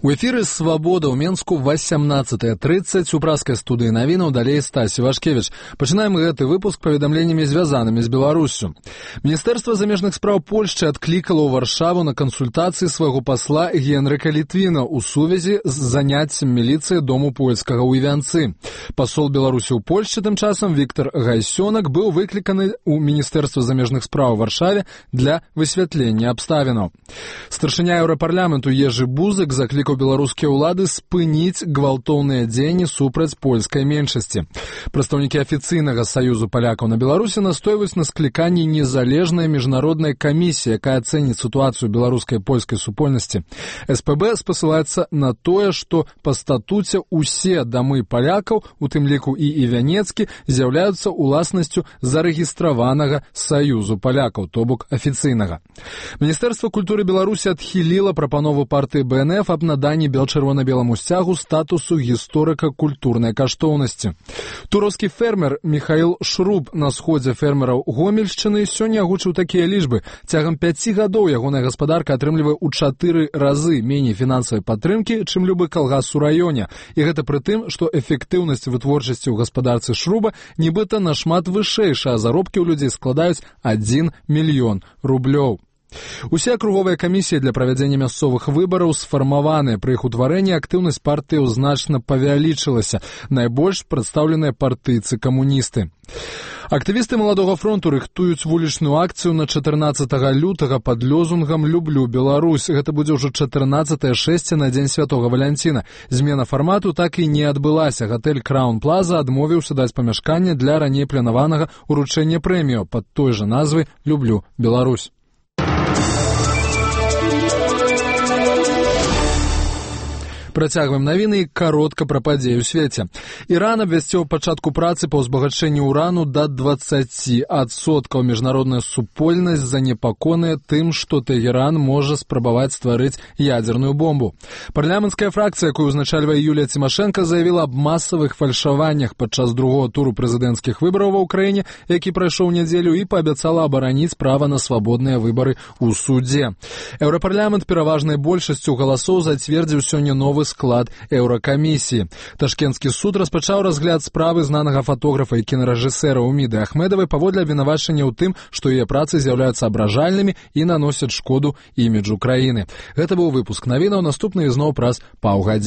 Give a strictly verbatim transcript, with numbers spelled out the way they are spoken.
У эфіры «Свабода» ў Менску васямнаццатая трыццаць у праскай студыі навінаў, далей Стась Івашкевіч. Пачынаем гэты выпуск паведамленнямі, звязанымі з Беларуссю. Міністэрства замежных спраў Польшчы адклікала ў Варшаву на кансультацыі свайго пасла Генрыка Літвіна ў сувязі з заняццем міліцыі дому польскага ў Івянцы. Пасол Беларусі ў Польшчы тым часам Віктор Гайсёнак быў выкліканы ў Міністэрства замежных спраў у Варшаве для высвятлення абставінаў. Старшыня Еўрапарламенту Ежы Бузык заклікаў беларускія ўлады спыніць гвалтоўныя дзеянні супраць польскай меншасці. Прадстаўнікі афіцыйнага саюзу палякаў на Беларусі настойваюць на скліканні незалежнай міжнароднай камісіі, якая ацэніць сітуацыю беларускай і польскай супольнасці. эс пэ бэ спасылаецца на тое, што па статуце ўсе дамы палякаў, у тым ліку і івянецкі, з'яўляюцца уласнасцю зарэгістраванага саюзу палякаў, то бок афіцыйнага. Міністэрства культуры Беларусі адхіліла прапанову партыі бэ эн эф аб наданні чырвона-беламу сцягу статусу гісторыка-культурнай каштоўнасці. Туровскі фермер Міхаіл Шруб на сходзе фермераў Гомельшчыны сёння агучыў такія лічбы. Цягам пяці гадоў ягоная гаспадарка атрымлівае ў чатыры разы меней фінансавай падтрымкі, чым любы калгас у раёне. І гэта пры тым, што эфектыўнасць вытворчасці ў гаспадарцы Шруба нібыта нашмат вышэйшая, а заробкі ў людзей складаюць адзін мільён рублёў. Усе акруговыя камісіі для правядзення мясцовых выбараў сфармаваныя. Пры іх утварэнні актыўнасць партыяў значна павялічылася. Найбольш прадстаўленыя партыйцы-камуністы. Актывісты Маладога фронту рыхтуюць вулічную акцыю на чатырнаццатага лютага пад лёзунгам «Люблю Беларусь». Гэта будзе ўжо чатырнаццатае шэсце на дзень святога Валянціна. Змена фармату так і не адбылася. Гатэль «Краун Плаза» адмовіўся даць памяшканне для раней планаванага ўручэння прэміяў пад той жа назвай «Люблю Беларусь». Працягваем навіны і каротка пра падзеі ў свеце. Іран абвясціў пачатку працы па ўзбагачэнні ўрану да дваццаці адсоткаў. Міжнародная супольнасць занепакоеная тым, што Тэгеран можа спрабаваць стварыць ядзерную бомбу. Парламенцкая фракцыя, якую ўзначальвае Юлія Цімашэнка, заявіла аб масавых фальшаваннях падчас другога туру прэзідэнцкіх выбараў ва ўкраіне, які прайшоў нядзелю, і паабяцала абараніць права на свабодныя выбары ў судзе. Еўрапарламент пераважнай большасцю галасоў зацвердзіў сёння новы склад еўракамісіі. Ташкенtsкі суд распачаў разгляд справы знанага фатографа і кінарэжысэра Уміды Ахмедавай паводле абвінавачання ў тым, што яе працы з'яўляюцца абражальнымі і наносяць шкоду іміджу краіны. Гэта быў выпуск навінаў, наступны ізноў праз паўгадзіны.